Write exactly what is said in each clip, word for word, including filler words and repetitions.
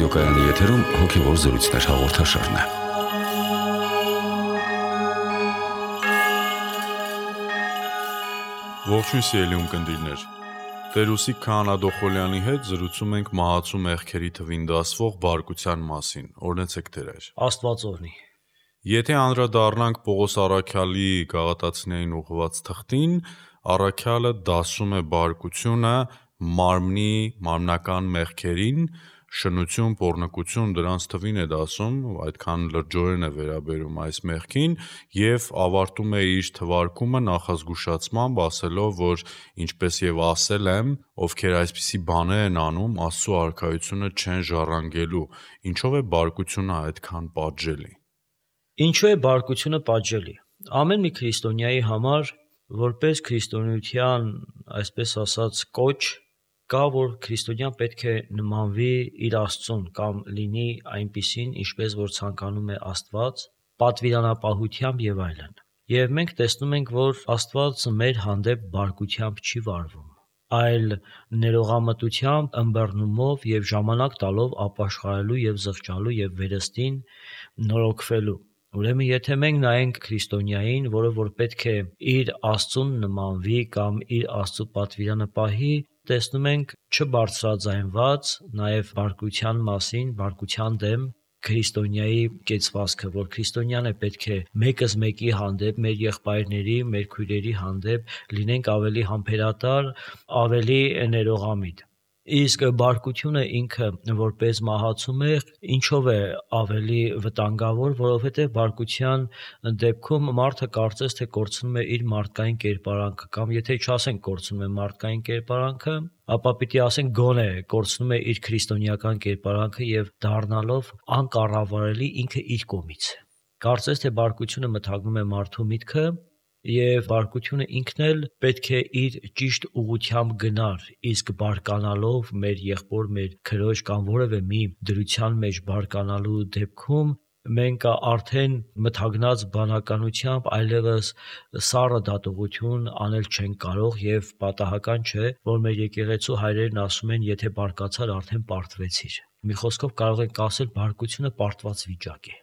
ռադիոկայանի եթերում հոգևոր զրույցներ հաղորդաշարն է։ Ողջույն սիրելի ունկնդիրներ։ Տեր-Ուսիկ Քահանա Դոխոլյանի հետ զրուցում ենք մահացու մեղքերի թվին դասվող բարկության մասին։ Օրհնեցեք Տեր։ Աստված օրհնի։ Եթե անդրադառնանք Պողոս առաքյալի գաղատացիներին ուղղված թղթին, առաքյալը դասում է բարկությունը մարմնի մարմնական մեղքերին, շնություն, պոռնկություն դրանց թվին է դասում, այդքան լրջորեն է վերաբերում այս մեղքին եւ ավարտում է իր թվարկումը նախազգուշացմամբ, ասելով, որ ինչպես եւ ասել եմ, ովքեր այսպիսի բաներ են անում, Աստծո արքայությունը չեն ժառանգելու։ Ինչով է բարկությունը այդքան պատժելի։ Ինչու է բարկությունը պատժելի։ Ամեն մի քրիստոնյայի համար, որպես քրիստոնեության, այսպես ասած, կոչ, կա, որ քրիստոնյան պետք է նմանվի իր Աստծուն կամ լինի այնպիսին, ինչպես որ ցանկանում է Աստված, պատվիրանապահությամբ եւ այլն։ Եվ մենք տեսնում ենք, որ Աստված մեր հանդեպ բարկությամբ չի վարվում, այլ ներողամտությամբ, ըմբռնումով եւ ժամանակ տալով ապաշխարելու եւ զղջալու եւ վերստին նորոգվելու։ Ուրեմն եթե մենք նայենք քրիստոնյային, որը որ պետք է իր Աստծուն նմանվի կամ իր Աստծո պատվիրանը պահի, տեսնում ենք չբարձրաձայնված նաև բարկության մասին, բարկության դեմ քրիստոնյայի կեցվածքը, որ քրիստոնյանը պետք է մեկս մեկի հանդեպ, մեր եղբայրների, մեր քույրերի հանդեպ լինենք ավելի համբերատար, ավելի ներողամիտ։ Իսկ բարկությունը ինքը որպես մահացու մեղք ինչով է ավելի վտանգավոր, որովհետև բարկության դեպքում մարդը կարծես թե կորցնում է իր մարդկային կերպարանքը, կամ եթե չասենք կորցնում է մարդկային կերպարանքը, ապա պիտի ասենք գոնե կորցնում է իր քրիստոնեական կերպարանքը եւ դառնալով անկառավարելի ինքը իր կողմից։ Կարծես թե բարկությունը մթագնում է մարդու միտքը եւ բարկությունը ինքն էլ պետք է իր ճիշտ ուղղությամբ գնար, իսկ բարկանալով մեր եղբոր, մեր քրոջ կամ որևէ մի դրության մեջ բարկանալու դեպքում մենք արդեն մթագնած բանականությամբ այլևս սառը դատողություն անել չենք կարող եւ պատահական չէ, որ մեր եկեղեցու հայրերն ասում են, եթե բարկացար, արդեն պարտվեցիր։ Մի խոսքով կարող ենք ասել, բարկությունը պարտված վիճակ է։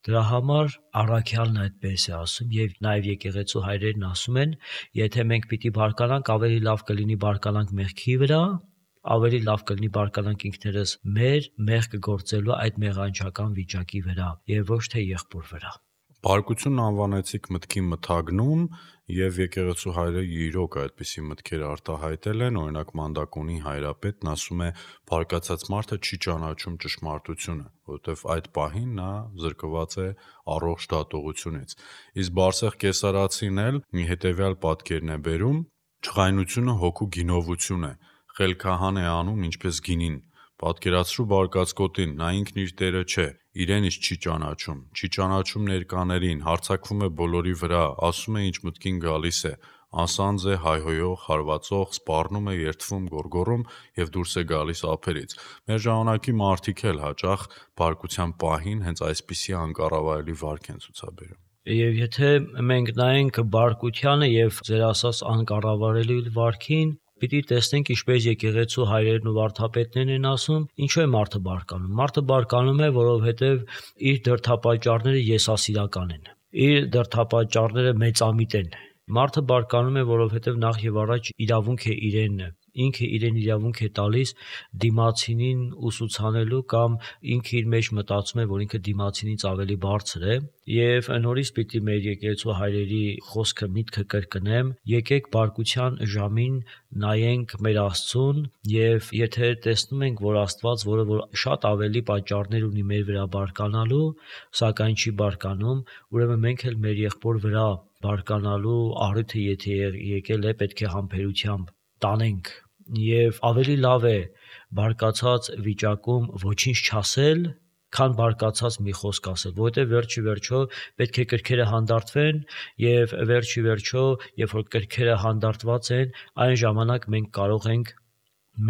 Դրա համար առաքյալն այդպես է ասում եւ նաեւ եկեղեցու հայրերն ասում են, եթե մենք պիտի բարկանանք, ավելի լավ կլինի բարկանանք մեղքի վրա, ավելի լավ կլինի բարկանանք ինքներս մեր մեղք գործելու այդ մեղանչական վիճակի վրա եւ ոչ թե եղբոր վրա։ Բարկությունն անվանեցիք մտքի մթագնում եւ եկեղեցու հայրերը իրոք այդպիսի մտքեր արտահայտել են, օրինակ Մանդակոնի հայրապետն ասում է, բարկացած մարդը չի ճանաչում ճշմարտությունը, որովհետեւ այդ պահին նա զրկված է առողջ դատողությունից։ Իսկ Բարսեղ Կեսարացին էլ մի հետեւյալ պատկերն է բերում. «Չղայնությունը հոգու գինովություն է, խելքահան է անում ինչպես գինին։ Պատկերացրու բարկած կոտին, նա ինքն իր տերը չէ, իրեն ինչ չի ճանաչում, չի ճանաչում ներկաներին, հարձակվում է բոլորի վրա, ասում է ինչ մտքին գալիս է, անսանձ է, հայհոյող, հարվածող, սպառնում է, երդվում, գոռգոռում եւ դուրս է գալիս ափերից։ Մեր ժամանակի մարդիկ էլ հաճախ բարկության պահին հենց այսպիսի անկառավարելի վարք են ցուցաբերում»։ Եվ եթե մենք նայենք բարկությանը եւ ձեր ասած անկառավարելի վարքին, պիտի տեսնենք ինչպես եկեղեցու հայրերն ու վարդապետներն են ասում, ինչու է մարդը բարկանում։ Մարդը բարկանում է, որովհետև իր դրդապատճառները եսասիրական են։ Իր դրդապատճառները մեծամիտ են։ Մարդը բարկանում է, որովհետև նախ եւ առաջ իրավունք է իրեն ինքը իրեն իրավունք է տալիս դիմացինին ուսուցանելու կամ ինքը իր մեջ մտածում է, որ ինքը դիմացինից ավելի բարձր է, եւ նորից պիտի մեր եկեղեցու հայրերի խոսքը միտքը կրկնեմ, եկեք բարկության ժամին նայենք մեր Աստծուն եւ եթե տեսնում ենք, որ Աստված, որը որ շատ ավելի պատճառներ ունի մեր վրա բարկանալու, սակայն չի բարկանում, ուրեմն մենք էլ մեր եղբոր վրա բարկանալու առիթը եթե եկել է, պետք է համբերությամբ տանենք եւ ավելի լավ է բարկացած վիճակում ոչինչ չասել, քան բարկացած մի խոսք ասել, որովհետեւ վերջի վերջո պետք է կրքերը հանդարտվեն եւ վերջի վերջո երբ որ կրքերը հանդարտված են, այն ժամանակ մենք կարող ենք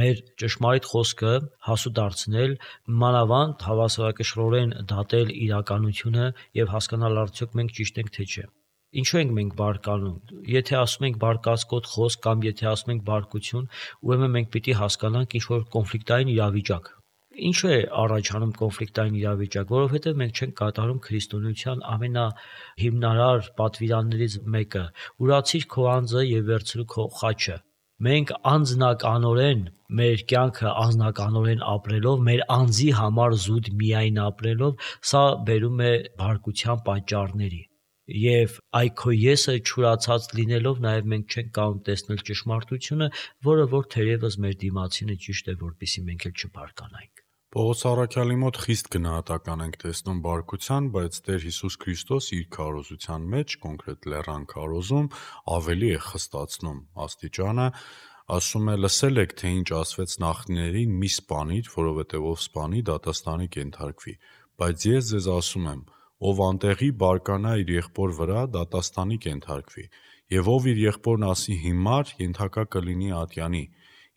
մեր ճշմարիտ խոսքը հասու դարձնել, մանավանդ հավասարակշռորեն դատել իրականությունը եւ հասկանալ արդյոք մենք ճիշտ ենք թե չէ։ Ինչու ենք մենք բարկանում։ Եթե ասում ենք բարկացկոտ խոսք կամ եթե ասում ենք բարկություն, ուրեմն մենք պիտի հասկանանք ինչ որ կոնֆլիկտային իրավիճակ։ Ինչու է առաջանում կոնֆլիկտային իրավիճակ, որովհետև մենք չենք կատարում քրիստոնեության ամենահիմնարար պատվիրաններից մեկը՝ ուրացիր քո անձը եւ վերցրու քո խաչը։ Մենք անձնականորեն մեր կյանքը անձնականորեն ապրելով, մեր անձի համար զուտ միայն ապրելով, սա բերում է բարկության պատճառների։ Եվ այ քո եսը չուրացած լինելով, նաև մենք չենք կարող տեսնել ճշմարտությունը, որը որ թերևս մեր դիմացինը ճիշտ է, որպեսզի մենք էլ չբարկանանք։ Պողոս առաքյալի մոտ խիստ գնահատական ենք տեսնում բարկության, բայց Տեր Հիսուս Քրիստոս իր քարոզության մեջ, կոնկրետ լեռան քարոզում, ավելի է խստացնում աստիճանը, ասում է. «Լսել եք, թե ինչ ասվեց նախնիներին՝ մի սպանիր, որովհետև ով սպանի, դատաստանի կենթարկվի։ Բայց ես ձեզ ասում եմ, ով անտեղի բարկանա իր եղբոր վրա, դատաստանի կենթարկվի, եւ ով իր եղբորն ասի հիմար, ենթակա կլինի ատյանի,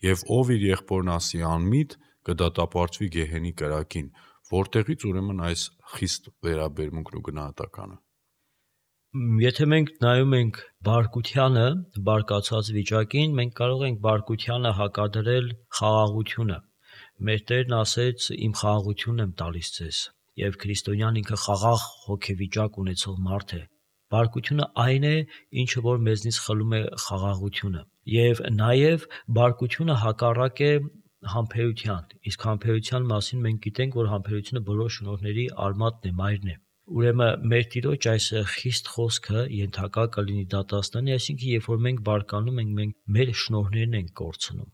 եւ ով իր եղբորն ասի անմիտ, կդատապարտվի գեհենի կրակին»։ Որտեղից ուրեմն այս խիստ վերաբերմունքն ու գնահատականը։ Եթե մենք նայում ենք բարկությանը, բարկացած վիճակին, մենք կարող ենք բարկությանը հակադրել խաղաղությունը։ Մեր Տերն ասեց. «Իմ խաղաղությունն եմ տալիս ձեզ», եւ քրիստոնյան ինքը խաղաղ հոգեվիճակ ունեցող մարդ է։ Բարկությունը այն է, ինչը որ մեզնից խլում է խաղաղությունը, եւ նաեւ բարկությունը հակառակ է համբերության, իսկ համբերության մասին մենք գիտենք, որ համբերությունը բոլոր շնորհների արմատն է, մայրն է։ Ուրեմն մեր Տիրոջ այս խիստ խոսքը ենթակա կլինի դատաստանի, այսինքն երբ որ մենք բարկանում ենք, մենք մեր շնորհներն ենք կորցնում։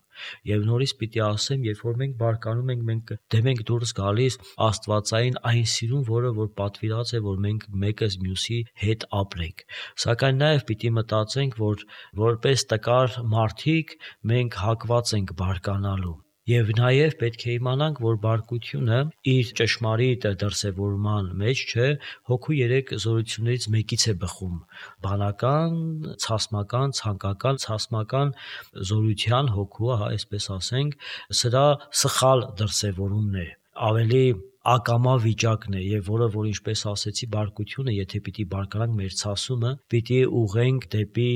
Եվ նորից պիտի ասեմ, երբ որ մենք բարկանում ենք, մենք դեմ ենք դուրս գալիս աստվածային այն սիրուն, որը որ պատվիրած է, որ մենք մեկս մյուսի հետ ապրենք։ Սակայն նաև պիտի մտածենք, որ որպես տկար մարդիկ մենք հակված ենք բարկանալու։ Եվ նաև պետք է իմանանք, որ բարկությունը իր ճշմարիտ դրսևորման մեջ չէ, հոգու երեք զորություններից մեկից է բխում՝ բանական, ցասմական, ցանկական, ցասմական զորության հոգու, հա, այսպես ասենք, սրա սխալ դրսևորումն է, ավելի ակամա վիճակն է, եւ որը որ ինչպես ասեցի, բարկությունը, եթե պիտի բարկանանք մեր ցասումը, պիտի ուղենք դեպի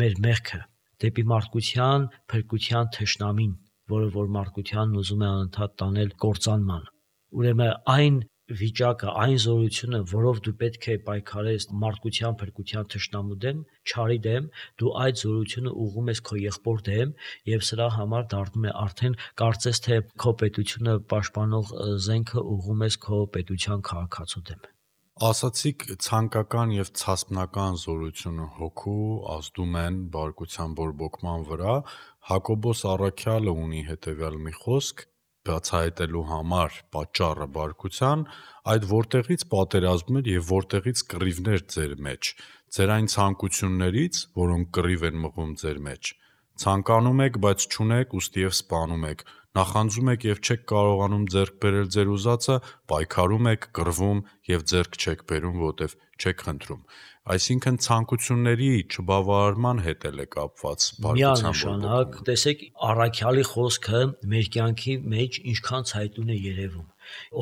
մեր մեղքը, դեպի մարդկության փրկության թշնամին, որը որ մարդկությանն ուզում է անընդհատ տանել կործանման։ Ուրեմն այն վիճակը, այն զորությունը, որով դու պետք է պայքարես մարդկության փրկության թշնամու դեմ, չարի դեմ, դու այդ զորությունը ուղղում ես քո եղբոր դեմ, եւ սրա համար դառնում է արդեն կարծես թե քո պետությունը պաշտպանող զենքը ուղղում ես քո պետության քաղաքացու դեմ։ Ասացիք, ցանկական եւ ցասմնական զորությունը հոգու ազդում են բարկության բորբոքման վրա։ Հակոբոս առաքյալը ունի հետեւյալ մի խոսք բացահայտելու համար պատճառը բարկության, այդ որտեղից պատերազմներ եւ որտեղից կռիվներ ձեր մեջ, ձեր այն ցանկություններից, որոնք կռիվ են մղում ձեր մեջ։ Ցանկանում եք, բայց չունեք, ուստի եւ սպանում եք, նախանձում եք եւ չեք կարողանում ձեռք բերել ձեր ուզածը, պայքարում եք, կռվում եւ ձեռք չեք բերում, որտեվ չեք խնդրում։ Այսինքն ցանկությունների չբավարարման հետ էլ է կապված բարկության բորբոքումը։ Տեսեք, առաքյալի խոսքը մեր կյանքի մեջ ինչքան ցայտուն է երևում։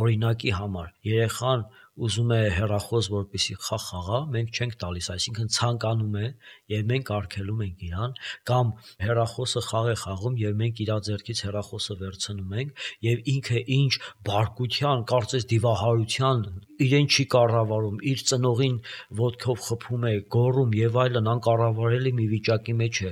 Օրինակի համար, երեխան ուզում է հեռախոս, որպեսզի խաղ խաղա, մենք չենք տալիս, այսինքն ցանկանում է եւ մենք արգելում ենք իրան, կամ հեռախոսը խաղ է խաղում եւ մենք իր ձեռքից հեռախոսը վերցնում ենք եւ ինքը ինչ բարկության, կարծես դիվահարության, իրեն չի կառավարում, իր ծնողին ոտքով խփում է, գոռում եւ այլն, անկառավարելի մի վիճակի մեջ է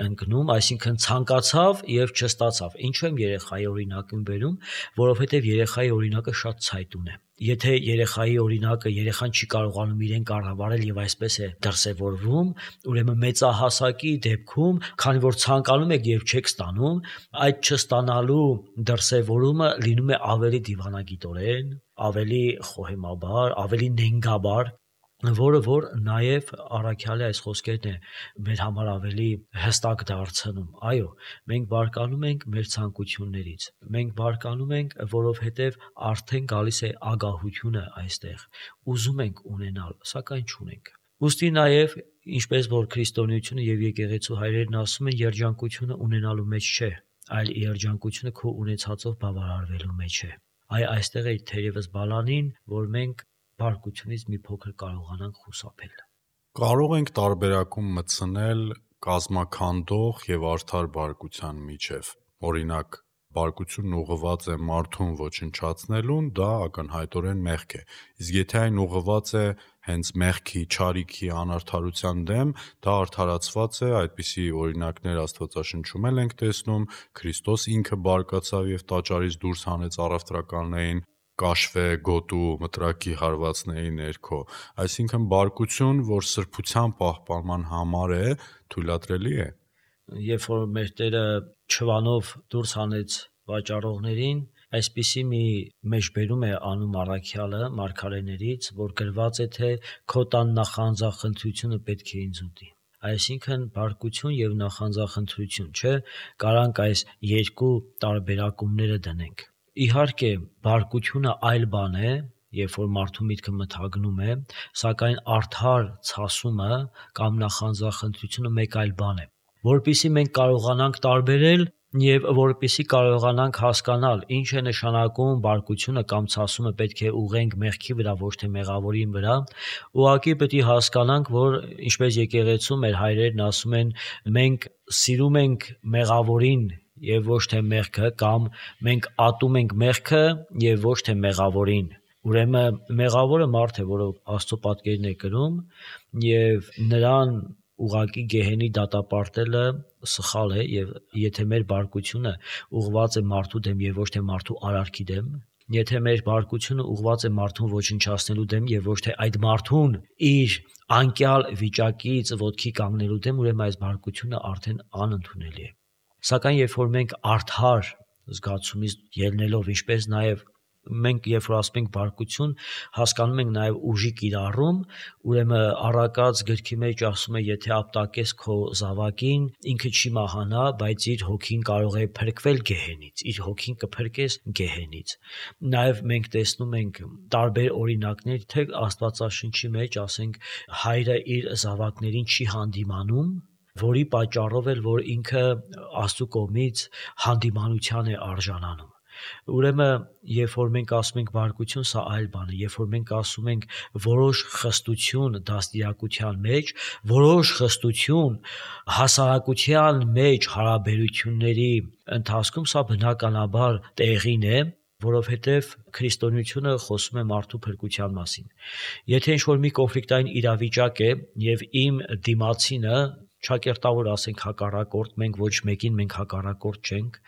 ընկնում, այսինքն ցանկացավ եւ չստացավ։ Ինչու եմ երեխայի օրինակը բերում, որովհետեւ երեխայի օրինակը շատ ցայտուն է։ Եթե երեխայի օրինակը երեխան չի կարողանում իրեն կառավարել եւ այսպես է դրսեւորվում, ուրեմն մեծահասակի դեպքում, քանի որ ցանկանում եք եւ չեք ստանում, այդ չստանալու դրսեւորումը լինում է ավելի դիվանագիտորեն, ավելի խոհեմաբար, ավելի նենգաբար, որը որ նաև առաքյալի այս խոսքերն է մեր համար ավելի հստակ դարձնում։ Այո, մենք բարկանում ենք մեր ցանկություններից։ Մենք բարկանում ենք, որովհետև արդեն գալիս է ագահությունը այստեղ։ Ուզում ենք ունենալ, սակայն չունենք։ Ոստի նաև, ինչպես որ քրիստոնեությունը եւ եկեղեցու հայրերն ասում են, երջանկությունը ունենալու մեջ չէ, այլ երջանկությունը քո ունեցածով բավարարվելու մեջ է։ Այ այստեղ է թերևս բալանին, որ մենք բարկությունից մի փոքր կարողանանք խուսափել։ Կարող ենք տարբերակում մտցնել կազմաքանդող եւ արդար բարկության միջև։ Օրինակ, բարկությունն ուղղված է մարդուն ոչնչացնելուն, դա ակնհայտորեն մեղք է։ Իսկ եթե այն ուղղված է հենց մեղքի, չարիքի, անարդարության դեմ, դա արդարացված է, այդպիսի օրինակներ Աստվածաշնչում էլ ենք տեսնում, Քրիստոս ինքը բարկացավ եւ տաճարից դուրս հանեց առևտրականներին, կաշվե, գոտու, մտրակի հարվածների ներքո, այսինքն բարկություն, որ սրբության պահպանման համար է, թույլատրելի է։ Երբ որ մեր Տերը չվանով դուրս հանեց վաճառողներին, այսպիսի մի մեջբերում է անում առաքյալը մարգարեներից, որ գրված է, թե քո տան նախանձախնդրությունը պետք է ինձ ուտի։ Այսինքն բարկություն եւ նախանձախնդրություն, չէ, կարանք այս երկու տարբերակումները դնենք։ Իհարկե, բարկությունը այլ բան է, երբ որ մարդու միտքը մթագնում է, սակայն արդար ցասումը կամ նախանձախնդրությունը մեկ այլ բան է։ Որպեսզի մենք կարողանանք տարբերել եւ որպեսզի կարողանանք հասկանալ ինչ է նշանակում բարկությունը կամ ցասումը պետք է ուղենք մեղքի վրա, ոչ թե մեղավորի վրա, ուղղակի պետք է հասկանանք, որ ինչպես եկեղեցում մեր հայրերն ասում են, մենք սիրում ենք մեղավորին եւ ոչ թե մեղքը, կամ մենք ատում ենք մեղքը եւ ոչ թե մեղավորին։ Ուրեմն մեղավորը մարդ է, որը Աստծո պատկերն է կրում, եւ նրան ուղղակի գեհենի դատապարտելը սխալ է, եւ եթե մեր բարկությունը ուղղված է մարդու դեմ եւ ոչ թե մարդու արարքի դեմ, եթե մեր բարկությունը ուղղված է մարդուն ոչնչացնելու դեմ եւ ոչ թե այդ մարդուն իր անկյալ վիճակից ոտքի կանգնելու դեմ, ուրեմն այս բարկությունը արդեն անընդունելի է։ Սակայն երբ որ մենք արդար զգացումից ելնելով, ինչպես նաեւ մենք երբ որ ասում ենք բարկություն, հասկանում ենք նաև ուժի կիրառում, ուրեմն առակած գրքի մեջ ասում է, եթե ապտակես քո զավակին, ինքը չի մահանա, բայց իր հոգին կարող է փրկվել գեհենից, իր հոգին կփրկես գեհենից։ Նաև մենք տեսնում ենք տարբեր օրինակներ, թե Աստվածաշնչի մեջ, ասենք, հայրը իր զավակներին չի հանդիմանում, որի պատճառով էլ որ ինքը Աստծո կողմից հանդիմանության է արժանանում։ Ուրեմն, երբ որ մենք ասում ենք բարկություն, սա այլ բան է, երբ որ մենք ասում ենք որոշ խստություն դաստիարակության մեջ, որոշ խստություն հասարակության մեջ հարաբերությունների ընթացքում, սա բնականաբար տեղին է, որովհետև քրիստոնեությունը խոսում է մարդու փրկության մասին։ Եթե ինչ-որ մի կոնֆլիկտային իրավիճակ է եւ իմ դիմացինը չակերտավոր ասենք հակառակորդ, մենք ոչ մեկին մենք հակառակորդ չենք,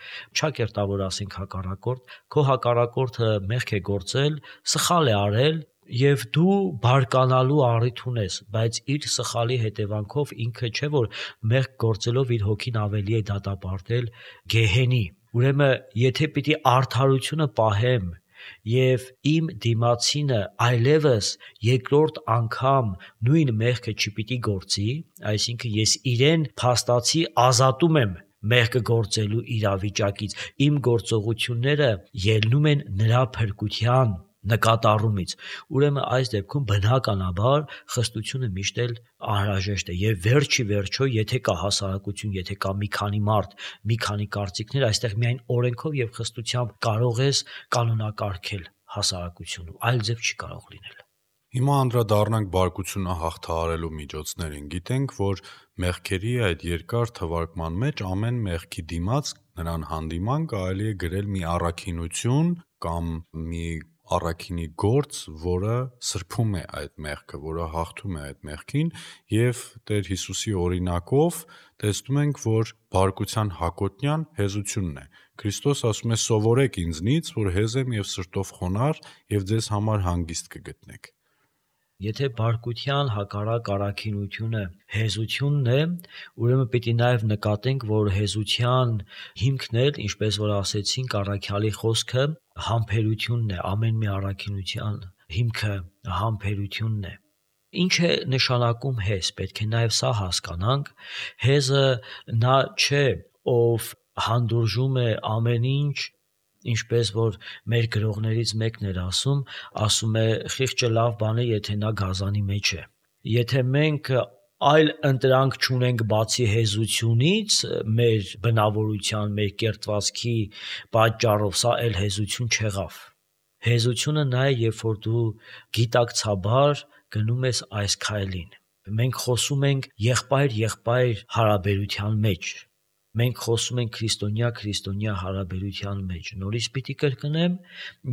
չակերտավոր ասենք հակառակորդ, քո հակառակորդը մեղք է գործել, սխալ է արել եւ դու բարկանալու առիթ ունես, բայց իր սխալի հետևանքով ինքը չէ որ մեղք գործելով իր հոգին ավելի է դատապարտել գեհենի։ Ուրեմն, եթե պիտի արդարությունը պահեմ եւ իմ դիմացինը այլևս երկրորդ անգամ նույն մեղքը չպիտի գործի, այսինքն ես իրեն փաստացի ազատում եմ մեղքը գործելու իրավիճակից, իմ գործողությունները ելնում են նրա փրկության նկատառումից, ուրեմն այս դեպքում բնականաբար խստությունը միշտ էլ անհրաժեշտ է եւ վերջի վերջո, եթե կա հասարակություն, եթե կա մի քանի մարդ, մի քանի կարծիքներ, այստեղ միայն օրենքով եւ խստությամբ կարող ես կանոնակարգել հասարակությունը, այլ ձև չի կարող լինել։ Հիմա անդրադառնանք բարկությունը հաղթահարելու միջոցներին։ Գիտենք, որ մեղքերի այդ երկար թվարկման մեջ ամեն մեղքի դիմաց նրան հանդիման կարելի է գրել մի առաքինություն կամ մի առաքինի գործ, որը սրբում է այդ մեղքը, որը հաղթում է այդ մեղքին, եւ Տեր Հիսուսի օրինակով տեսնում ենք, որ բարկության հակոտնյան հեզությունն է։ Քրիստոս ասում է. «Սովորեք ինձնից, որ հեզ եմ եւ սրտով խոնարհ, եւ ձեզ համար հանգիստ կգտնեք»։ Եթե բարկության հակառակ առաքինությունը հեզությունն է, ուրեմն պիտի նաև նկատենք, որ հեզության հիմքն էլ, ինչպես որ ասեցինք, առաքյալի խոսքը համբերությունն է, ամեն մի առաքինության հիմքը համբերությունն է։ Ինչ է նշանակում հեզ, պետք է նաև սա հասկանանք։ Հեզը նա չէ, ով հանդուրժում է ամեն ինչ, ինչպես որ մեր գրողներից մեկն էր ասում, ասում է խիղճը լավ բան է, եթե նա գազանի մեջ է։ Եթե մենք այլ ընտրանք չունենք բացի հեզությունից, մեր բնավորության, մեր կերտվածքի պատճառով, սա էլ հեզություն չեղավ։ Հեզությունը նա է, երբ որ դու գիտակցաբար գնում ես այս քայլին։ Մենք խոսում ենք եղբայր-եղբայր հարաբերության մեջ։ Մենք խոսում ենք քրիստոնյա-քրիստոնյա հարաբերության մեջ։ Նորից պիտի կրկնեմ,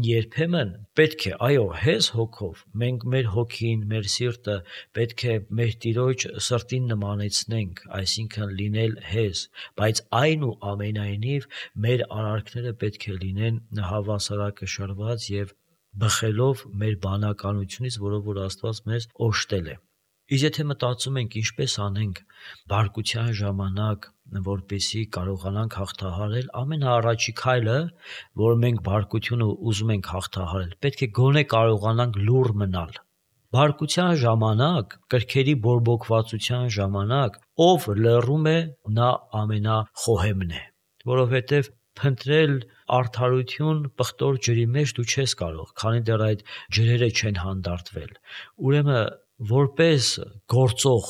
երբեմն պետք է, այո, հես հոգով, մենք մեր հոգին, մեր սիրտը պետք է մեր Տիրոջ սրտին նմանեցնենք, այսինքն լինել հես, բայց այնուամենայնիվ մեր արարքները պետք է լինեն հավասարակշռված եւ բխելով մեր բանականությունից, որով որ Աստված մեզ օժտել է։ Իսկ եթե մտածում ենք ինչպես անենք բարկության ժամանակ, որպեսզի կարողանանք հաղթահարել, ամենաառաջի քայլը, որ մենք բարկությունը ուզում ենք հաղթահարել, պետք է գոնե կարողանանք լուռ մնալ։ Բարկության ժամանակ, կրքերի բորբոքվածության ժամանակ, ով լռում է, նա ամենախոհեմն է, որովհետև փնտրել արդարություն պղտոր ջրի մեջ դու չես կարող, քանի դեռ այդ ջրերը չեն հանդարտվել։ Ուրեմն որպես գործող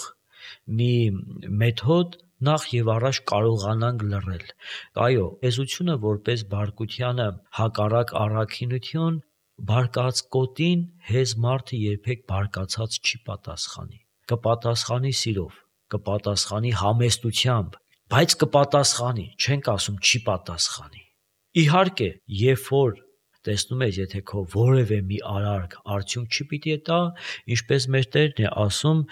մի մեթոդ նախ եւ առաջ կարողանանք լռել։ Այո, էզությունը որպես բարկությանը հակառակ առաքինություն, բարկած կոտին հեզ մարդը երբեք բարկացած չի պատասխանի։ Կպատասխանի սիրով, կպատասխանի համեստությամբ, բայց կպատասխանի, չենք ասում չի պատասխանի։ Իհարկե, երբ որ տեսնում ես, եթե քո որևէ մի արարք արդյունք չի պիտի տա, ինչպես մեր Տերն է ասում,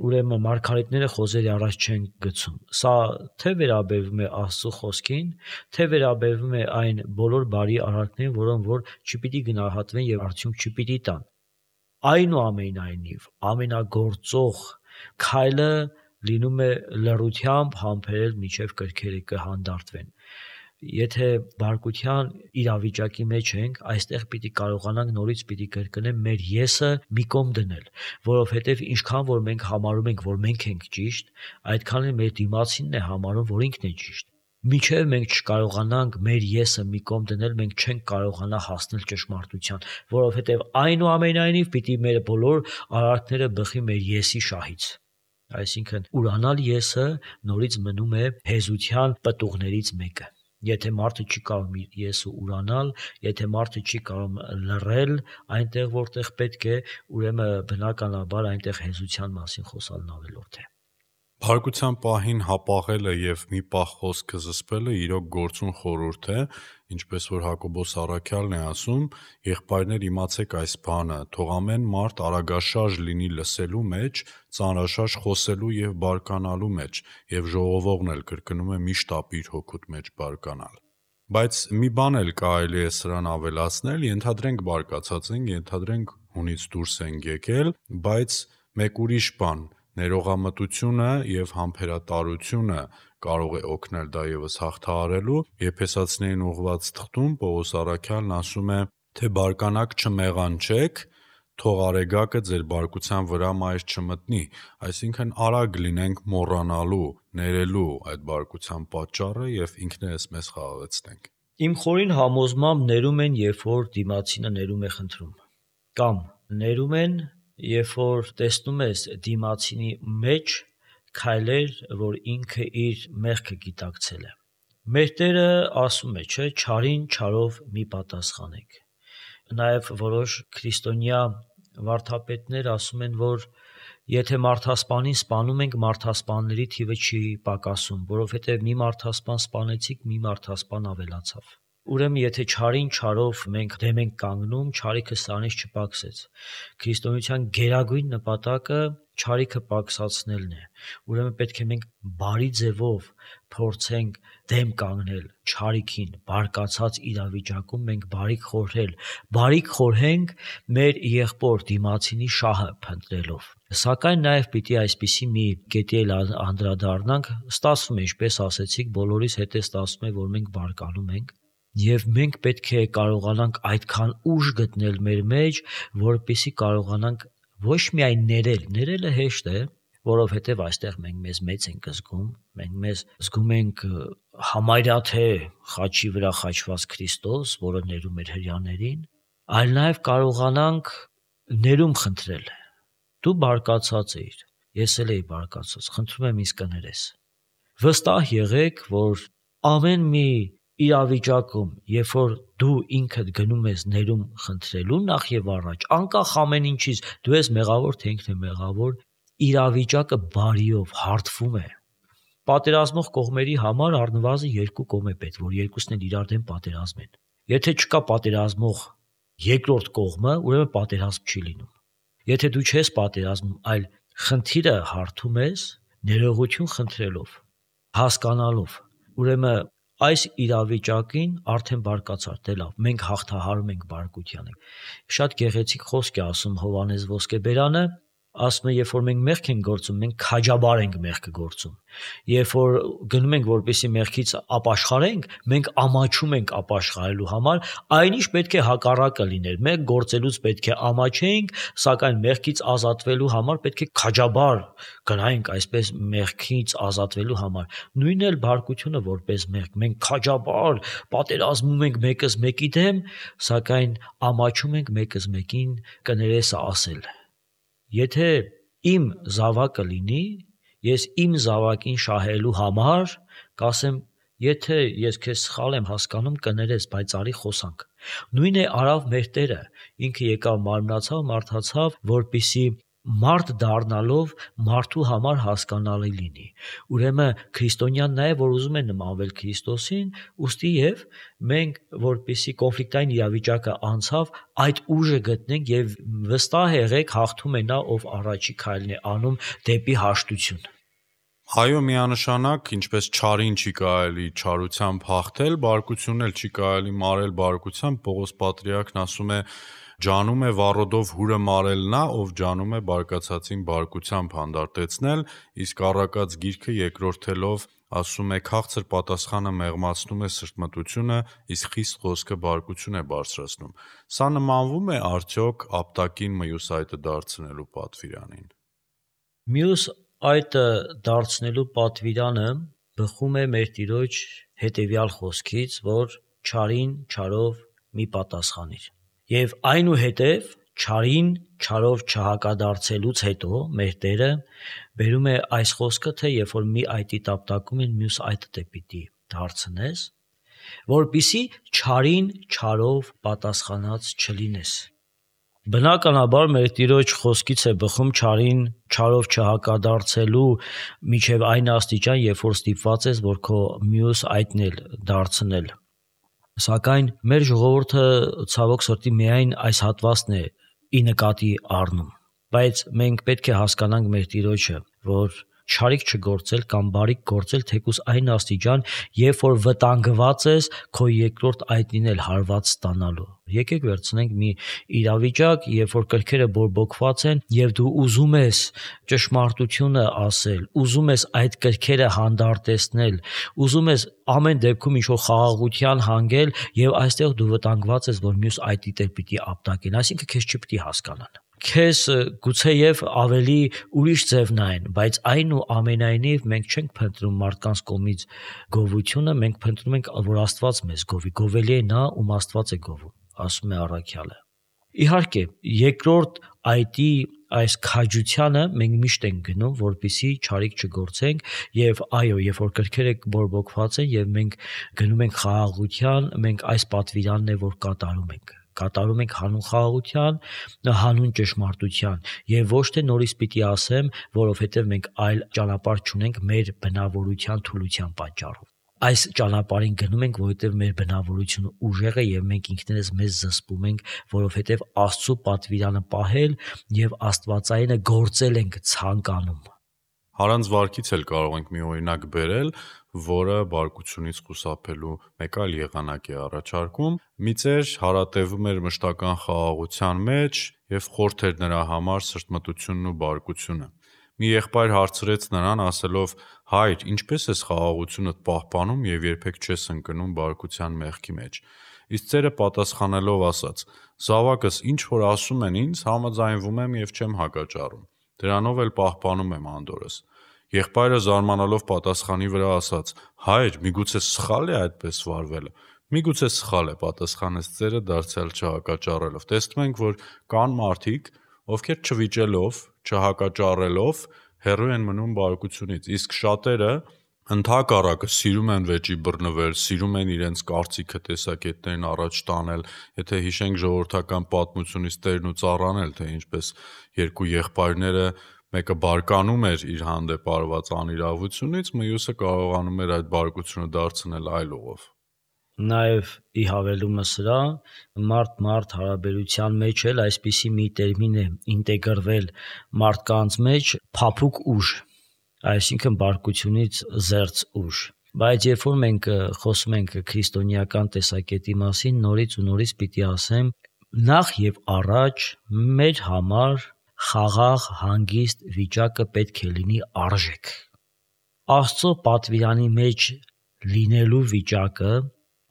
ուրեմն մարգարեթները խոզերի առաջ չեն գցում։ Սա թե վերաբերվում է Աստծո խոսքին, թե վերաբերվում է այն բոլոր բարի արարքներին, որոնք որ չպիտի գնահատվեն եւ արդյունք չպիտի տան։ Այնուամենայնիվ, ամենագործող քայլը լինում է լռությամբ համբերել միջև կրքերը կհանդարտվեն։ Եթե բարկության իրավիճակի մեջ ենք, այստեղ պիտի կարողանանք նորից պիտի կրկնեմ մեր եսը մի կողմ դնել, որովհետև ինչքան որ մենք համարում ենք, որ մենք ենք ճիշտ, այդքան էլ մեր դիմացինն է համարում, որ ինքն է ճիշտ։ Մինչև մենք չկարողանանք մեր եսը մի կողմ դնել, մենք չենք կարողանա հասնել ճշմարտության, որովհետև այնուամենայնիվ պիտի մեր բոլոր արարքները բխի մեր եսի շահից։ Այսինքն ուրանալ եսը նորից մնում է հեզության պտուղներից մեկը։ Եթե մարդը չի կարող իր եսը ուրանալ, եթե մարդը չի կարող լռել այնտեղ, որտեղ պետք է, ուրեմն բնականաբար այնտեղ հեզության մասին խոսալն ավելորդ է։ Բարկության պահին հապաղելը եւ մի պահ խոսքը զսպելը իրոք գործուն խորհուրդ է, ինչպես որ Հակոբոս առաքյալն է ասում. «Եղբայրներ, իմացեք այս բանը, թող ամեն մարդ արագաշարժ լինի լսելու մեջ, ծանրաշարժ խոսելու եւ բարկանալու մեջ, եւ ժողովողն էլ կրկնում է միշտ ապիր հոգուտ մեջ բարկանալ»։ Բայց մի բան էլ կարելի է սրան ավելացնել, ենթադրենք բարկացած ենք, ենթադրենք հունից դուրս ենք եկել, բայց մեկ ուրիշ բան ներողամտությունը եւ համբերատարությունը կարող է օգնել դա եւս հաղթահարելու։ Եփեսացիներին ուղված թղթում Պողոս առաքյալն ասում է, թե բարկանաք չմեղանչեք, թող արեգակը ձեր բարկության վրա մայր չմտնի, այսինքն արագ լինենք մոռանալու, ներելու այդ բարկության պատճառը եւ ինքներս մեզ խաղաղեցնենք։ Իմ խորին համոզմամբ ներում են, երբ որ դիմացինը ներում է խնդրում, կամ ներում են, երբ որ տեսնում ես դիմացինի մեջ քայլեր, որ ինքը իր մեղքը գիտակցել է։ Մեր Տերը ասում է, չէ, չարին չարով մի պատասխանեք։ Նաև որոշ քրիստոնյա վարդապետներ ասում են, որ եթե մարդասպանին սպանում ենք, մարդասպանների թիվը չի պակասում, որովհետև մի մարդասպան սպանեցիք, մի մարդասպան ավելացավ։ Ուրեմն եթե չարին չարով մենք դեմ ենք կանգնում, չարիքը սրանից չպակսեց։ Քրիստոնեության գերագույն նպատակը չարիքը պակսացնելն է։ Ուրեմն պետք է մենք բարի ձևով փորձենք դեմ կանգնել չարիքին, բարկացած իրավիճակում մենք բարիք խորհել, բարիք խորհենք մեր եղբոր դիմացինի շահը փնտրելով։ Սակայն նաև պիտի այսպիսի մի կետի էլ անդրադառնանք, ստացվում է, ինչպես ասեցիք, բոլորիս հետ է ստացվում է, որ մենք բարկանում ենք, եւ մենք պետք է կարողանանք այդքան ուժ գտնել մեր մեջ, որպեսզի կարողանանք ոչ միայն ներել, ներելը հեշտ է, որովհետև այստեղ մենք մեզ մեծ ենք զգում, մենք մեզ զգում ենք համարյա թե խաչի վրա խաչված Քրիստոս, որը ներում էր հրյաներին, այլ նաև կարողանանք ներում խնդրել։ Դու բարկացած ես, ես էլ էի բարկացած, խնդրում եմ ինձ կներես։ Վստահ եղեք, որ ամեն մի իրավիճակում, երբ որ դու ինքդ գնում ես ներում խնդրելու, նախ եւ առաջ, անկախ ամեն ինչից, դու ես մեղավոր թե ինքն է մեղավոր, իրավիճակը բարիով հարթվում է, պատերազմող կողմերի համար առնվազն երկու կողմ է պետք, որ երկուսն էլ իրար դեմ պատերազմեն։ Եթե չկա պատերազմող երկրորդ կողմը, ուրեմն պատերազմ չի լինում։ Եթե դու չես պատերազմում, այլ խնդիրը հարթում ես ներողություն խնդրելով, հասկանալով, ուրեմն այս իրավիճակին արդեն բարկացար, դե լավ, մենք հաղթահարում ենք բարկությանը։ Շատ գեղեցիկ խոսք է ասում Հովհաննես Ոսկեբերանը, ասում է, երբ որ մենք մեղք ենք գործում, մենք քաջաբար ենք մեղքը գործում։ Երբ որ գնում ենք, որպեսզի մեղքից ապաշխարենք, մենք ամաչում ենք ապաշխարելու համար, այնիշ պետք է հակառակը լիներ։ Մենք գործելուց պետք է ամաչենք, սակայն մեղքից ազատվելու համար պետք է քաջաբար գնայինք այսպես մեղքից ազատվելու համար։ Նույնն էլ բարկությունը որպես մեղք, մենք քաջաբար պատերազմում ենք մեկս մեկի դեմ, սակայն ամաչում ենք մեկս մեկին կներես ասել։ Եթե իմ զավակը լինի, ես իմ զավակին շահելու համար կասեմ, եթե ես քեզ սխալ եմ հասկանում, կներես, բայց արի խոսանք։ Նույն է արավ մեր Տերը, ինքը եկավ մարմնացավ, մարդացավ, որպեսզի մարդ դառնալով մարդու համար հասկանալի լինի։ Ուրեմն քրիստոնյան նա է, որ ուզում է նմանվել Քրիստոսին, ուստի եւ մենք որպեսզի կոնֆլիկտային իրավիճակը անցավ, այդ ուժը գտնենք եւ վստահ եղեք հաղթում է նա, ով առաջի քայլն է անում դեպի հաշտություն։ Այո, միանշանակ, ինչպես չարին չի կարելի չարությամբ հաղթել, բարկությունն էլ չի կարելի մարել բարկությամբ, Պողոս Պատրիարքն ասում է ջանում է վառոդով հուրը մարել նա, ով ջանում է բարկացածին բարկությամբ հանդարտեցնել, իսկ առակած գիրքը երկրորդելով ասում է քաղցր պատասխանը մեղմացնում է սրտմտությունը, իսկ խիստ խոսքը բարկություն է բարձրացնում։ Սա նմանվում է արդյոք ապտակին մյուս այտը դարձնելու պատվիրանին։ Մյուս այտը դարձնելու պատվիրանը բխում է մեր Տիրոջ հետևյալ խոսքից, որ չարին չարով մի պատասխանիր։ Եվ այնուհետև չարին չարով չհակադարձելուց հետո մեր Տերը բերում է այս խոսքը, թե երբ որ մի այտի տապտակում են մյուս այտը դե պիտի դարձնես, որպիսի չարին չարով պատասխանած չլինես։ Բնականաբար մեր Տիրոջ խոսքից է բխում չարին չարով չհակադարձելու միջև այն աստիճան, երբ որ ստիպված ես, որ քո մյուս այտն էլ դարձնել։ Սակայն մեր ժողովուրդը ցավոք սրտի միայն այս հատվածն է ի նկատի առնում, բայց մենք պետք է հասկանանք մեր Տիրոջը, որ չարիք չգործել կամ բարիք գործել թեկուզ այն աստիճան, երբ որ վտանգված ես քո երկրորդ այտին էլ հարված ստանալու։ Եկեք վերցնենք մի իրավիճակ, երբ որ կրքերը բորբոքված են եւ դու ուզում ես ճշմարտությունը ասել, ուզում ես այդ կրքերը հանդարտեցնել, ուզում ես ամեն դեպքում ինչ-որ խաղաղության հանգել եւ այստեղ դու վտանգված ես, որ մյուս այտիդ էլ պիտի ապտակեն, այսինքն քեզ չպիտի հասկանան։ Քեզ գուցեև ավելի ուրիշ ձև նայեն, բայց այն ու ամենայնիվ մենք չենք փնտրում մարդկանց կողմից գովությունը, մենք փնտրում ենք, որ Աստված մեզ գովի, գովելի է նա, ում Աստված է գովում, ասում է առաքյալը։ Իհարկե, երկրորդ այտի այս քաջությանը մենք միշտ ենք գնում, որպեսզի չարիք չգործենք եւ այո, երբ որ կրքերը բորբոքված են եւ մենք գնում ենք խաղաղության, մենք այս պատվիրանն է, որ կատարում ենք։ Կատարում ենք հանուն խաղաղության, հանուն ճշմարտության եւ ոչ թե նորից պիտի ասեմ, որովհետեւ մենք այլ ճանապարհ չունենք մեր բնավորության թուլության պատճառով։ Այս ճանապարհին գնում ենք, որովհետեւ մեր բնավորությունը ուժեղ է եւ մենք ինքներս մեզ զսպում ենք, որովհետեւ Աստծո պատվիրանը պահել եւ Աստվածայինը գործել ենք ցանկանում։ Հարանց վարքից էլ կարող ենք մի օրինակ բերել, որը բարկությունից խուսափելու մեկ այլ եղանակ է առաջարկում։ Մի ծեր հարատևում էր մշտական խաղաղության մեջ եւ խորթ էր նրա համար սրտմտությունն ու բարկությունը։ Մի եղբայր հարցրեց նրան, ասելով. «Հայր, ինչպես ես խաղաղությունդ պահպանում եւ երբեք չես ընկնում բարկության մեղքի մեջ»։ Իսկ ծերը պատասխանելով ասաց. «Զավակս, ինչ որ ասում են ինձ, համաձայնվում եմ եւ չեմ հակաճառում։ Դրանով էլ պահպանում եմ անդորրս»։ Եղբայրը զարմանալով պատասխանի վրա ասաց. «Հայր, միգուցե սխալ է այդպես վարվելը»։ «Միգուցե սխալ է», պատասխանեց ծերը դարձյալ չհակաճառելով։ Տեսնում ենք, որ կան մարդիկ, ովքեր չվիճելով, չհակաճառելով հեռու են մնում բարկությունից, իսկ շատերը ընդհակառակը սիրում են վեճի բռնվել, սիրում են իրենց կարծիքը տեսակետներն առաջ տանել, եթե հիշենք ժողովրդական պատմությունից Տերն ու ծառան էլ, թե ինչպես երկու եղբայրները մեկը բարկանում էր իր հանդեպ արված անիրավությունից, մյուսը կարողանում էր այդ բարկությունը դարձնել այլ ուղով։ Նաև ի հավելումը սրա մարդ-մարդ հարաբերության մեջ էլ այսպիսի մի տերմին է ինտեգրվել մարդկանց մեջ փափուկ ուժ, այսինքն բարկությունից զերծ ուժ։ Բայց երբ որ մենք խոսում ենք քրիստոնեական տեսակետի մասին, նորից ու նորից պիտի ասեմ, նախ եւ առաջ մեր համար խաղաղ, հանգիստ վիճակը պետք է լինի արժեք։ Աստծո պատվիրանի մեջ լինելու վիճակը,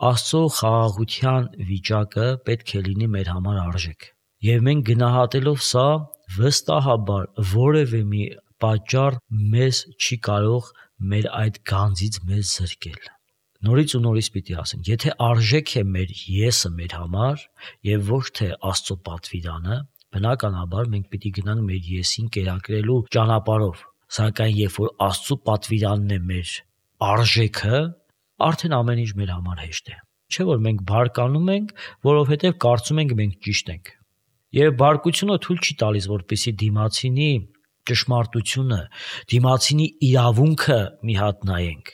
Աստծո խաղաղության վիճակը պետք է լինի մեր համար արժեք։ Եվ մենք գնահատելով սա, վստահաբար որևէ մի պատճառ մեզ չի կարող մեր այդ գանձից մեզ զրկել։ Նորից ու նորից պիտի ասեմ, եթե արժեք է մեր եսը մեր համար եւ ոչ թե Աստծո պատվիրանը, բնականաբար մենք պիտի գնանք մեր եսին կերակրելու ճանապարհով։ Սակայն երբ որ Աստծո պատվիրանն է մեր արժեքը, արդեն ամեն ինչ մեր համար հեշտ է։ Չէ՞ որ մենք բարկանում ենք, որովհետև կարծում ենք մենք ճիշտ ենք։ Եվ բարկությունը թույլ չի տալիս, որպեսզի դիմացինի ճշմարտությունը, դիմացինի իրավունքը մի հատ նայենք։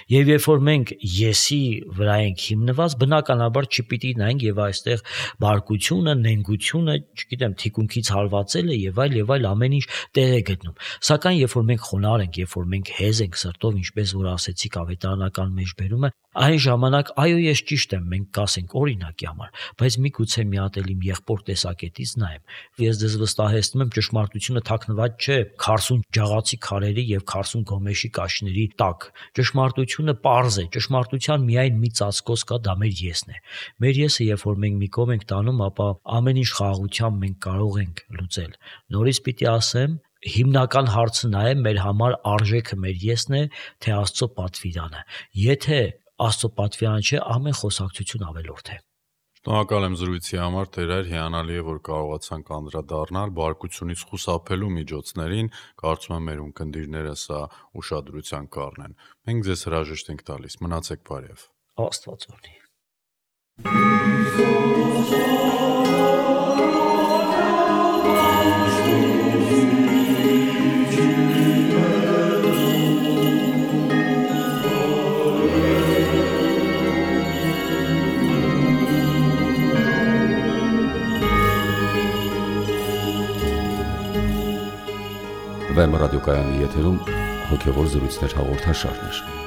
Եվ երբ որ մենք եսի վրա ենք հիմնված, բնականաբար չպիտի նայենք եւ այստեղ բարկությունը, նենգությունը, չգիտեմ, թիկունքից հարվածելը եւ այլ եւ այլ ամեն ինչ տեղ է գտնում։ Սակայն երբ որ մենք խոնարհ ենք, երբ որ մենք հեզ ենք սրտով, ինչպես որ ասեցիք ավետարանական մեջբերումը, այն ժամանակ այո, ես ճիշտ եմ, մենք կասենք օրինակի համար, բայց միգուցե մի հատ էլ իմ եղբոր տեսակետից նայեմ։ Ես դες վստահեցնում եմ, ճշմարտությունը թաքնված չէ քարսուն ջաղացի քարերի եւ քարսուն գոմեշի կաշիների տակ։ Ճշմարտությունը պարզ է, ճշմարտության միայն մի ծածկոց կա, դա մեր եսն է։ Մեր եսը, երբ որ մենք մի կողմ ենք տանում, ապա ամեն ինչ խաղաղությամբ մենք կարող ենք լուծել։ Նորից պիտի ասեմ, հիմնական հարցը նա է, մեր համար արժեքը մեր եսն է, թե Աստծո պատվիրանը։ Եթե Աստծո պատվիրանը չէ, ամեն խոսակցություն ավելորդ է։ Շնորհակալ եմ զրույցի համար, Տերեր, հիանալի է, որ կարողացանք անդրադառնալ բարկությունից խուսափելու միջոցներին, կարծում եմ մեր ունկնդիրները սա ուշադրության կառնեն։ Մենք ձեզ հրաժեշտ ենք տալիս, մնացեք բարև։ Աստված օրհնի։ Վեմ ռադիոկայանի եթերում հոգևոր զրույցներ հաղորդաշարներ։